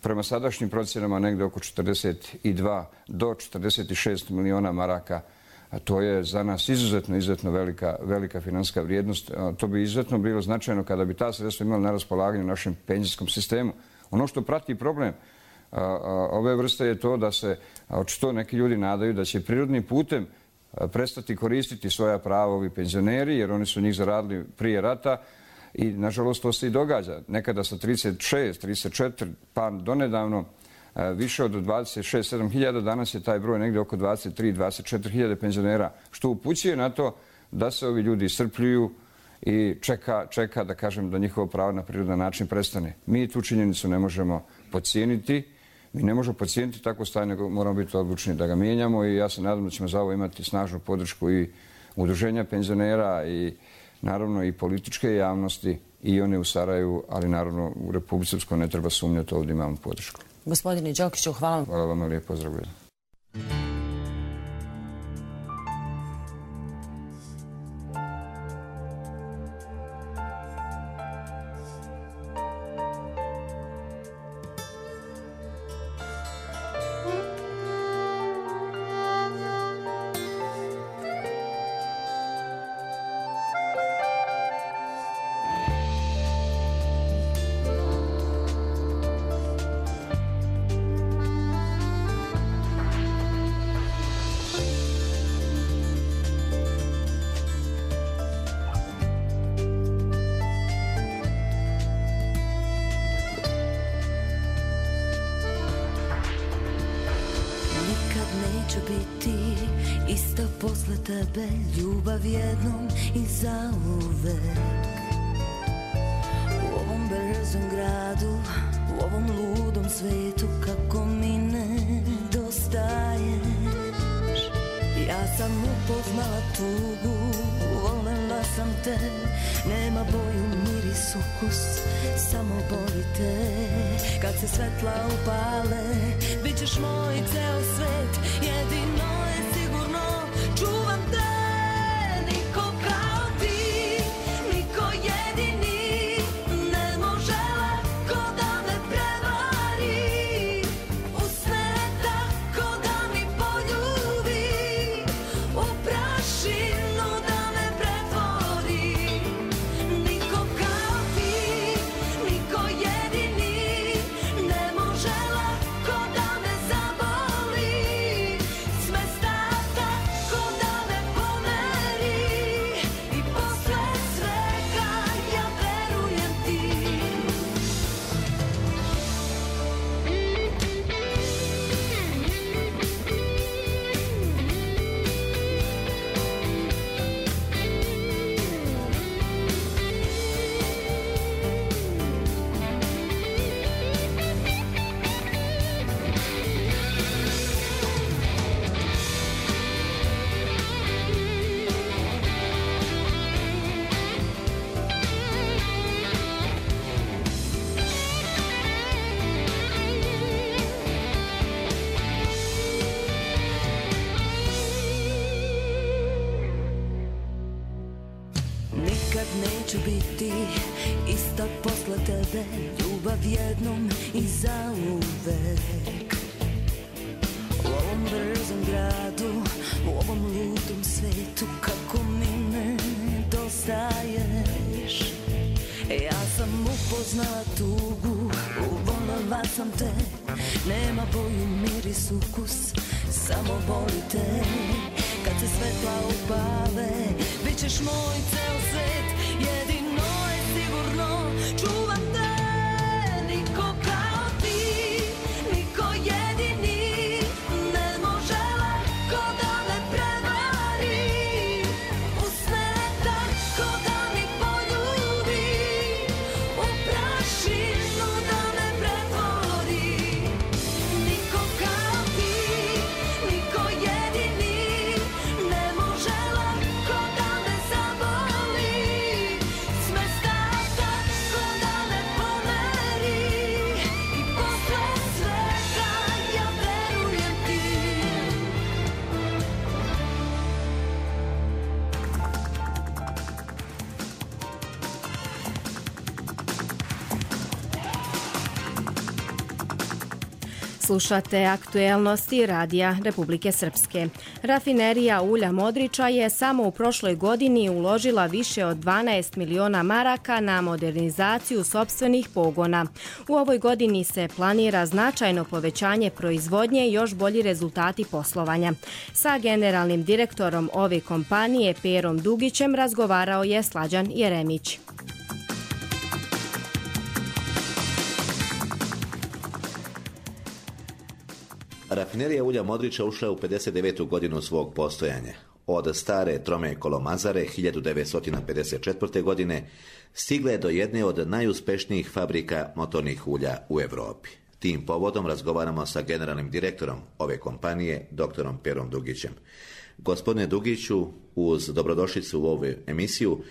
[SPEAKER 6] prema sadašnjim procjenama, negdje oko 42 do 46 miliona maraka. A to je za nas izuzetno velika financijska vrijednost. To bi izuzetno bilo značajno kada bi ta sredstva imala na raspolaganju u našem penzijskom sistemu. Ono što prati problem ove vrste je to da se očito neki ljudi nadaju da će prirodnim putem prestati koristiti svoja prava ovi penzioneri, jer oni su njih zaradili prije rata i nažalost to se i događa. Nekada sa 36, 34, pa donedavno više od 26-7 hiljada, danas je taj broj negdje oko 23-24 hiljade penzionera, što upućuje na to da se ovi ljudi iscrpljuju i čeka da kažem da njihovo pravo na prirodan način prestane. Mi tu činjenicu ne možemo podcijeniti, mi ne možemo podcijeniti takvo stanje, nego moramo biti odlučni da ga mijenjamo i ja se nadam da ćemo za ovo imati snažnu podršku i udruženja penzionera i naravno i političke javnosti i one u Sarajevu, ali naravno u Republici Srpskoj ne treba sumnjati, ovdje imamo podršku.
[SPEAKER 5] Gospodine Đokiću, hvala vam.
[SPEAKER 6] Hvala vam, lijep pozdrav.
[SPEAKER 7] tebe ljubav jednom i zauvek. U ovom brzom gradu, u ovom ludom svetu, kako mi nedostaješ. Ja sam upoznala tugu, volela sam te, nema boju, miris, ukus, samo boli te. Kad se svetla upale, bit ćeš moj ceo svet, jedino je sigurno, čuvam te. Niko kao ti, niko jedini, ne može lako da me prevari. Usne tako da mi poljubi, u prašinu da me pretvori. Niko kao ti, niko jedini, ne može lako da me zavari. neću biti ista posle tebe, ljubav jednom i zauvek. U ovom brzom gradu, u ovom ludom svetu, kako mi nedostaješ. Ja sam upoznala tugu, uvolila sam te, nema boju, miris, ukus, samo voli te. Kad se svetla upale, bit ćeš moj ceo svet, jedino je sigurno, čuvam te. Niko kao ti, niko jedini, ne može lako da me prevari. Usne tako da mi poljubi, u prašinu da me pretvori. Niko kao ti, niko jedini, ne može lako da me zaboli. Smesta tako da me pomeri, i posle svega ja verujem ti.
[SPEAKER 2] Slušate aktuelnosti Radija Republike Srpske. Rafinerija ulja Modriča je samo u prošloj godini uložila više od 12 miliona maraka na modernizaciju sopstvenih pogona. U ovoj godini se planira značajno povećanje proizvodnje i još bolji rezultati poslovanja. Sa generalnim direktorom ove kompanije Perom Dugićem razgovarao je Slađan Jeremić.
[SPEAKER 8] Rafinerija ulja Modriča ušla je u 59. godinu svog postojanja. Od stare trome kolomazare 1954. godine stigla je do jedne od najuspešnijih fabrika motornih ulja u Europi. Tim povodom razgovaramo sa generalnim direktorom ove kompanije, doktorom Perom Dugićem. Gospodine Dugiću, uz dobrodošlicu u ovu emisiju,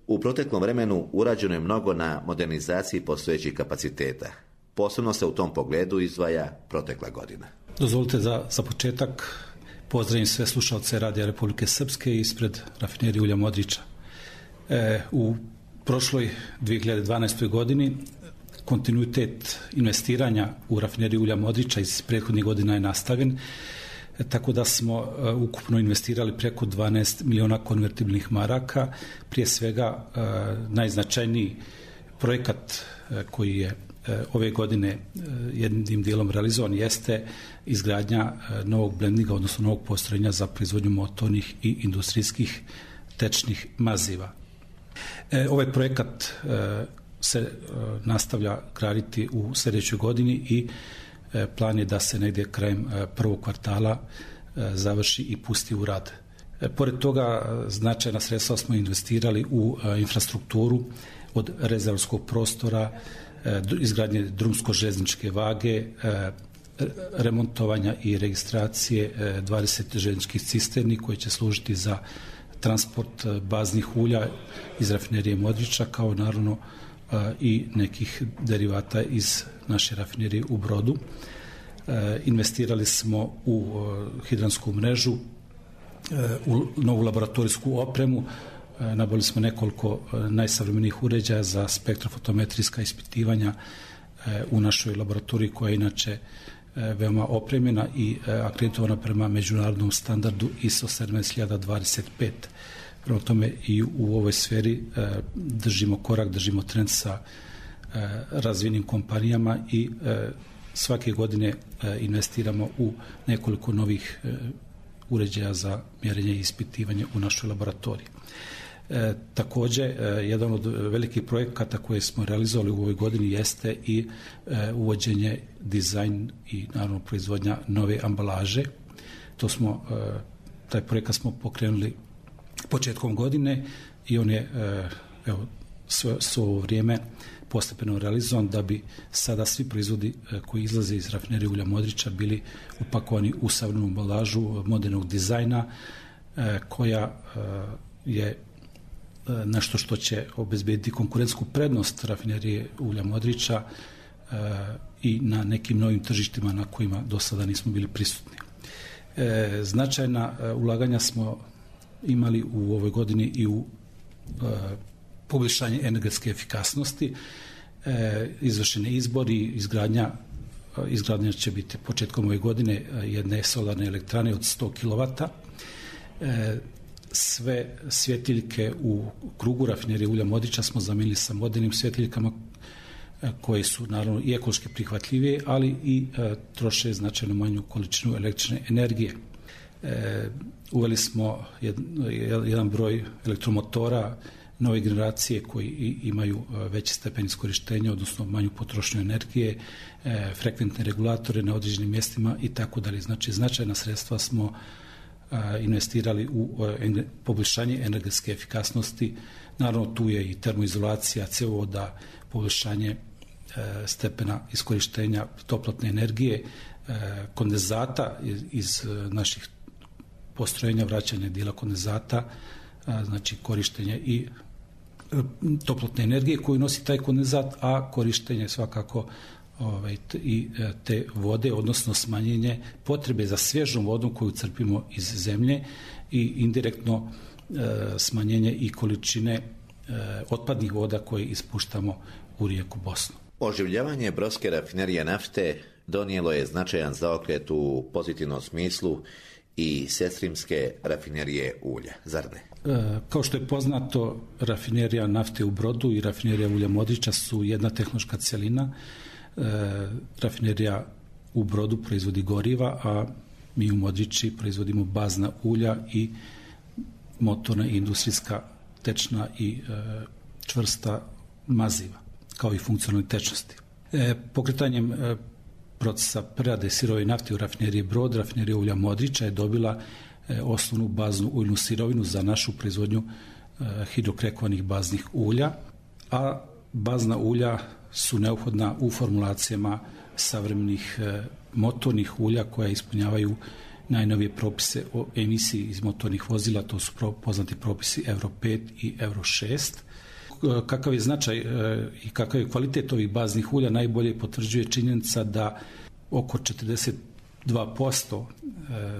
[SPEAKER 8] u proteklom vremenu urađeno je mnogo na modernizaciji postojećih kapaciteta. Posebno se u tom pogledu izdvaja protekla godina.
[SPEAKER 9] Dozvolite da za početak pozdravim sve slušalce Radija Republike Srpske ispred Rafinerije ulja Modriča. U prošloj 2012. godini kontinuitet investiranja u Rafineriju ulja Modriča iz prethodnih godina je nastavljen, tako da smo ukupno investirali preko 12 miliona konvertibilnih maraka. Prije svega najznačajniji projekat koji je ove godine jednim dijelom realizovan jeste izgradnja novog blendinga, odnosno novog postrojenja za proizvodnju motornih i industrijskih tečnih maziva. Ovaj projekat se nastavlja graditi u sljedećoj godini i plan je da se negdje krajem prvog kvartala završi i pusti u rad. Pored toga značajna sredstva smo investirali u infrastrukturu od rezervorskog prostora, izgradnje drumsko-željezničke vage, remontovanja i registracije 20 željezničkih cisterni koje će služiti za transport baznih ulja iz Rafinerije Modriča, kao naravno i nekih derivata iz naše rafinerije u Brodu. Investirali smo u hidransku mrežu, u novu laboratorijsku opremu. Nabavili smo nekoliko najsavremenijih uređaja za spektrofotometrijska ispitivanja u našoj laboratoriji, koja je inače veoma opremljena i akreditovana prema međunarodnom standardu ISO 17025. Prema tome i u ovoj sferi držimo korak, držimo trend sa razvijenim kompanijama i svake godine investiramo u nekoliko novih uređaja za mjerenje i ispitivanje u našoj laboratoriji. Također, jedan od velikih projekata koje smo realizovali u ovoj godini jeste i uvođenje, dizajn i naravno proizvodnja nove ambalaže. Taj projekat smo pokrenuli početkom godine i on je svo ovo vrijeme postepeno realizovan, da bi sada svi proizvodi koji izlaze iz Rafinerije ulja Modriča bili upakovani u savremenu ambalažu modernog dizajna, koja je nešto što će obezbediti konkurentsku prednost Rafinerije ulja Modriča i na nekim novim tržištima na kojima do sada nismo bili prisutni. Značajna ulaganja smo imali u ovoj godini i u poboljšanje energetske efikasnosti, izvršeni izbori, izgradnja će biti početkom ove godine jedne solarne elektrane od 100 kW. Sve svjetiljke u krugu rafinerije ulja Modriča smo zamijenili sa modernim svjetiljkama koje su naravno i ekološki prihvatljivije, ali i troše značajno manju količinu električne energije. Uveli smo jedan broj elektromotora nove generacije koji imaju veći stepen iskorištenja, odnosno manju potrošnju energije, frekventne regulatore na određenim mjestima i tako dalje. Znači, značajna sredstva smo investirali u poboljšanje energetske efikasnosti. Naravno, tu je i termoizolacija cjevovoda, poboljšanje stepena iskorištenja toplotne energije, kondenzata iz naših postrojenja, vraćanje dijela kondenzata, znači korištenje i toplotne energije koju nosi taj kondenzat, a korištenje svakako i te vode, odnosno smanjenje potrebe za svježom vodom koju crpimo iz zemlje i indirektno smanjenje i količine otpadnih voda koje ispuštamo u rijeku Bosnu.
[SPEAKER 8] Oživljavanje brodske rafinerije nafte donijelo je značajan zaokret u pozitivnom smislu i sestrinske rafinerije ulja, zar ne?
[SPEAKER 9] Kao što je poznato, rafinerija nafte u Brodu i rafinerija ulja Modriča su jedna tehnološka cjelina. Rafinerija u Brodu proizvodi goriva, a mi u Modriči proizvodimo bazna ulja i motorna i industrijska tečna i čvrsta maziva, kao i funkcionalne tečnosti. Pokretanjem procesa prerade sirove nafte u rafineriji Brod, rafinerija ulja Modriča je dobila osnovnu baznu uljnu sirovinu za našu proizvodnju hidrokrekovanih baznih ulja, a bazna ulja su neophodna u formulacijama savremenih motornih ulja koja ispunjavaju najnovije propise o emisiji iz motornih vozila, to su poznati propisi Euro 5 i Euro 6. Kakav je značaj i kakav je kvalitet ovih baznih ulja najbolje potvrđuje činjenica da oko 42%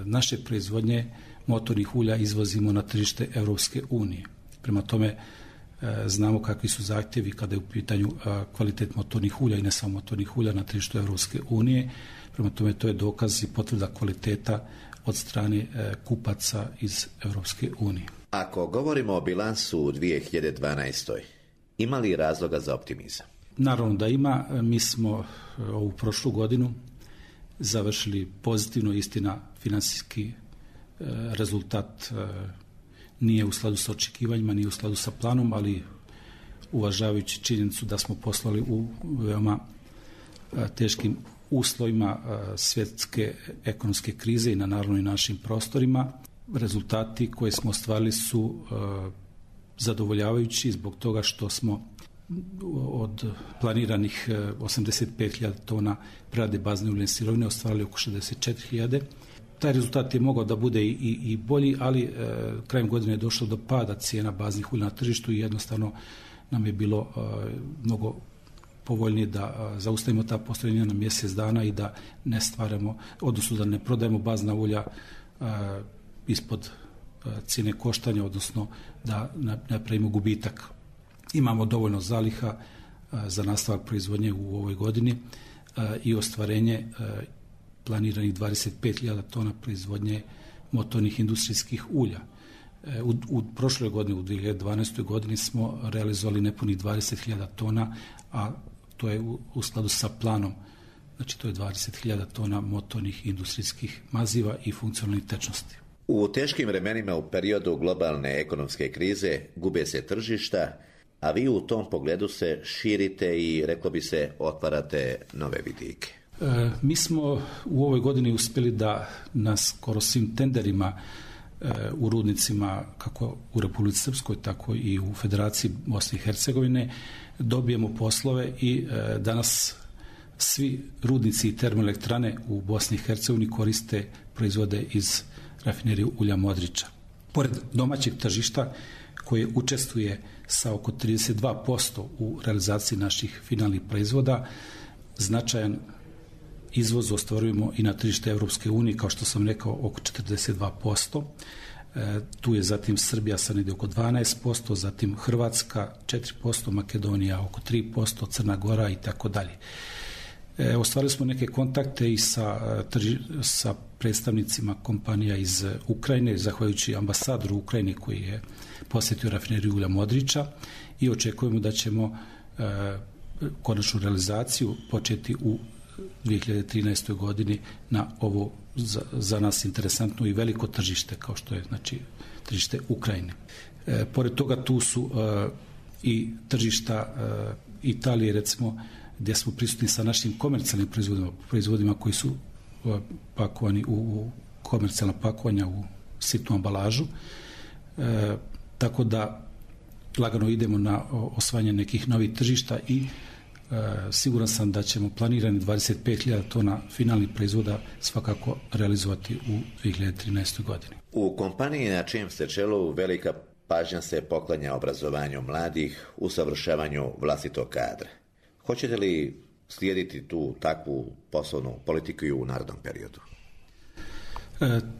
[SPEAKER 9] naše proizvodnje motornih ulja izvozimo na tržište Europske unije. Prema tome znamo kakvi su zahtjevi kada je u pitanju kvalitet motornih ulja i ne samo motornih ulja na tržištu Europske unije. Prema tome to je dokaz i potvrda kvaliteta od strane kupaca iz Europske unije.
[SPEAKER 8] Ako govorimo o bilansu u 2012. ima li razloga za optimizam?
[SPEAKER 9] Naravno da ima. Mi smo ovu prošlu godinu završili pozitivno, istina financijski rezultat nije u skladu sa očekivanjima, nije u skladu sa planom, ali uvažavajući činjenicu da smo poslali u veoma teškim uslovima svjetske ekonomske krize i naravno i našim prostorima, rezultati koje smo ostvarili su zadovoljavajući zbog toga što smo od planiranih 85.000 tona prerade bazne uljane sirovine ostvarili oko 64.000. Taj rezultat je mogao da bude i bolji, ali krajem godine je došlo do pada cijena baznih ulja na tržištu i jednostavno nam je bilo mnogo povoljnije da zaustavimo ta postrojenja na mjesec dana i da ne stvaramo, odnosno da ne prodajemo bazna ulja ispod cijene koštanja, odnosno da napravimo gubitak. Imamo dovoljno zaliha za nastavak proizvodnje u ovoj godini i ostvarenje planiranih 25.000 tona proizvodnje motornih industrijskih ulja. U prošloj godini, u 2012. godini smo realizovali nepunih 20.000 tona, a to je u skladu sa planom. Znači to je 20.000 tona motornih industrijskih maziva i funkcionalnih tečnosti.
[SPEAKER 8] U teškim vremenima u periodu globalne ekonomske krize gube se tržišta, a vi u tom pogledu se širite i, reklo bi se, otvarate nove vidike.
[SPEAKER 9] Mi smo u ovoj godini uspjeli da na skoro svim tenderima u rudnicima, kako u Republici Srpskoj, tako i u Federaciji Bosne i Hercegovine, dobijemo poslove i danas svi rudnici i termoelektrane u Bosni i Hercegovini koriste proizvode iz rafinerije ulja Modriča. Pored domaćeg tržišta koje učestvuje sa oko 32% u realizaciji naših finalnih proizvoda, značajan izvoz ostvarujemo i na tržište Europske unije, kao što sam rekao, oko 42%. Tu je zatim Srbija sa negdje oko 12%, zatim Hrvatska 4%, Makedonija oko 3%, Crna Gora i tako dalje. Ostvarili smo neke kontakte i sa predstavnicima kompanija iz Ukrajine, zahvaljujući ambasadoru Ukrajine koji je posjetio rafineriju ulja Modriča, i očekujemo da ćemo konačnu realizaciju početi u 2013. godini na ovo za nas interesantno i veliko tržište kao što je tržište Ukrajine. Pored toga tu su i tržišta Italije, recimo, gdje smo prisutni sa našim komercijalnim proizvodima koji su pakovani u komercijalna pakovanja u sitnu ambalažu. Tako da lagano idemo na osvajanje nekih novih tržišta i siguran sam da ćemo planirani 25.000 tona finalnih proizvoda svakako realizovati u 2013. godini.
[SPEAKER 8] U kompaniji na čijem ste čelu velika pažnja se poklanja obrazovanju mladih, usavršavanju vlastitog kadra. Hoćete li slijediti tu takvu poslovnu politiku i u narednom periodu?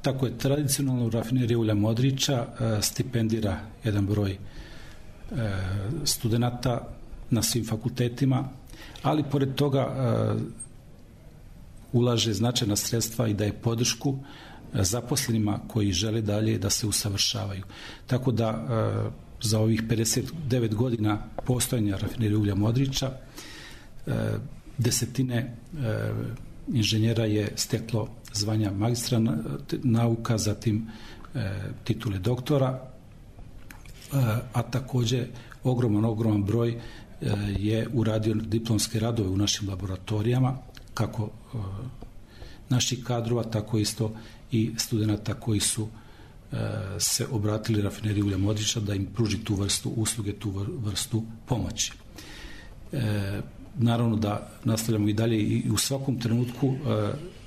[SPEAKER 9] Tako je, tradicionalno rafinerija ulja Modriča stipendira jedan broj studenata na svim fakultetima, ali pored toga ulaže značajna sredstva i daje podršku zaposlenima koji žele dalje da se usavršavaju. Tako da za ovih 59 godina postojanja rafinerije ulja Modriča desetine inženjera je steklo zvanja magistra nauka, zatim titule doktora, a također ogroman broj je uradio diplomske radove u našim laboratorijama, kako naših kadrova, tako isto i studenata koji su se obratili rafineriji ulja Modriča da im pruži tu vrstu usluge, tu vrstu pomoći. Naravno da nastavljamo i dalje i u svakom trenutku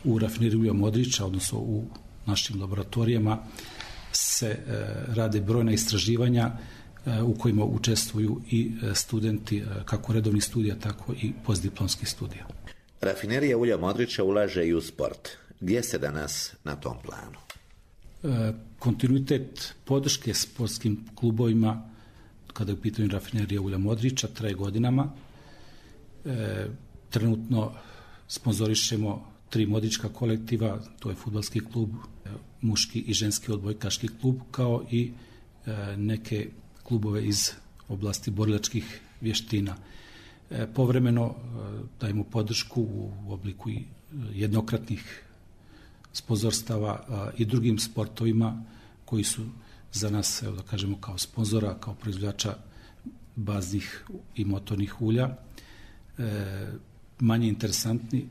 [SPEAKER 9] u rafineriji ulja Modriča, odnosno u našim laboratorijama, se rade brojna istraživanja u kojima učestvuju i studenti kako redovnih studija, tako i postdiplomskih studija.
[SPEAKER 8] Rafinerija ulja Modriča ulaže i u sport. Gdje ste danas na tom planu?
[SPEAKER 9] Kontinuitet podrške sportskim klubovima kada je u pitanju rafinerija ulja Modriča traje godinama. Trenutno sponzorišemo 3 modrička kolektiva, to je fudbalski klub, muški i ženski odbojkaški klub, kao i neke klubove iz oblasti borilačkih vještina. Povremeno dajemo podršku u obliku i jednokratnih sponzorstava i drugim sportovima koji su za nas, evo da kažemo, kao sponzora, kao proizvođača baznih i motornih ulja. Manje interesantni,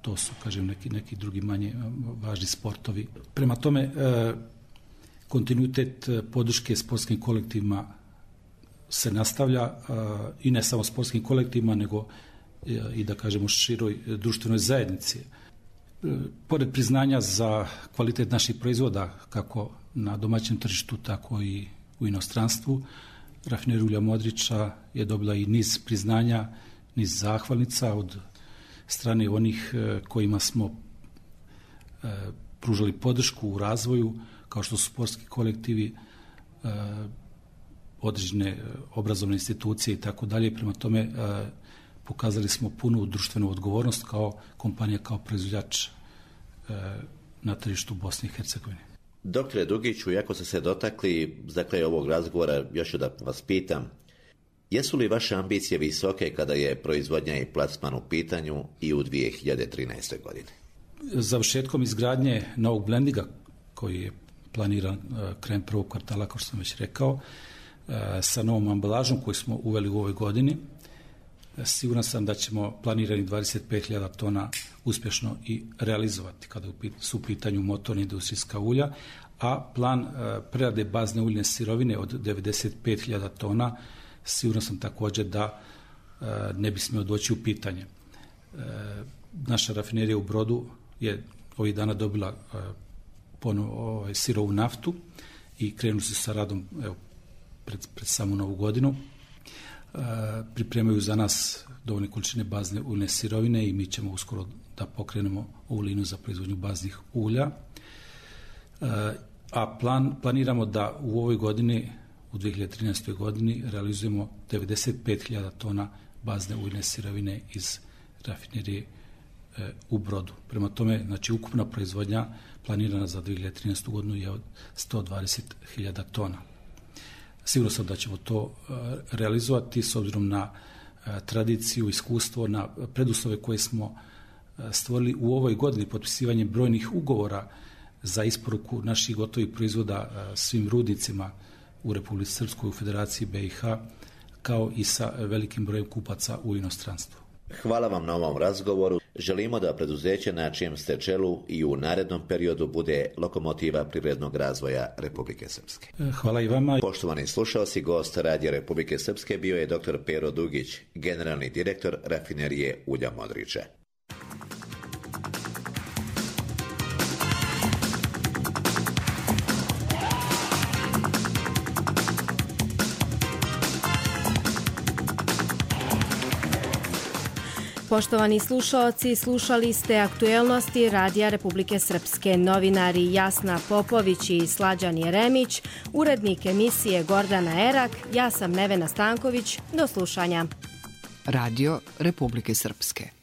[SPEAKER 9] to su, kažem, neki drugi manje važni sportovi. Prema tome, kontinuitet podrške sportskim kolektivima se nastavlja, i ne samo sportskim kolektivima, nego i, da kažemo, široj društvenoj zajednici. Pored priznanja za kvalitet naših proizvoda, kako na domaćem tržištu, tako i u inostranstvu, rafinerija ulja Modriča je dobila i niz priznanja, niz zahvalnica od strane onih kojima smo pružali podršku u razvoju, kao što su sportski kolektivi, određene obrazovne institucije i tako dalje. Prema tome pokazali smo punu društvenu odgovornost kao kompanija, kao proizvođač na tržištu Bosne i Hercegovine.
[SPEAKER 8] Doktore Dugiću, iako ste se dotakli za kraj ovog razgovora, još ću da vas pitam, jesu li vaše ambicije visoke kada je proizvodnja i plasman u pitanju i u 2013. godini?
[SPEAKER 9] Završetkom izgradnje novog blendinga, koji je planiran krajem prvog kvartala, kao što sam već rekao, sa novom ambalažom koju smo uveli u ovoj godini, siguran sam da ćemo planirani 25.000 tona uspješno i realizovati kada su u pitanju motorna industrijska ulja, a plan prerade bazne uljne sirovine od 95.000 tona siguran sam također da ne bi smio doći u pitanje. Naša rafinerija u Brodu je ovih dana dobila sirovu naftu i krenuli su sa radom pred samu novu godinu. Pripremaju za nas dovoljne količine bazne uljne sirovine i mi ćemo uskoro da pokrenemo ovu liniju za proizvodnju baznih ulja. A planiramo da u ovoj godini, u 2013. godini, realizujemo 95.000 tona bazne uljne sirovine iz rafinerije u Brodu. Prema tome, znači, ukupna proizvodnja planirana za 2013. godinu je od 120.000 tona. Sigurno sam da ćemo to realizovati s obzirom na tradiciju, iskustvo, na preduslove koje smo stvorili u ovoj godini potpisivanjem brojnih ugovora za isporuku naših gotovih proizvoda svim rudnicima u Republici Srpskoj, u Federaciji BiH, kao i sa velikim brojem kupaca u inostranstvu.
[SPEAKER 8] Hvala vam na ovom razgovoru. Želimo da preduzeće na čijem ste čelu i u narednom periodu bude lokomotiva privrednog razvoja Republike Srpske.
[SPEAKER 9] Hvala i vama.
[SPEAKER 8] Poštovani slušalci, gost Radija Republike Srpske bio je dr. Pero Dugić, generalni direktor rafinerije ulja Modriče.
[SPEAKER 2] Poštovani slušaoci, slušali ste aktuelnosti Radija Republike Srpske. Novinari Jasna Popović i Slađan Jeremić, urednik emisije Gordana Erak, ja sam Nevena Stanković. Do slušanja.
[SPEAKER 10] Radio Republike Srpske.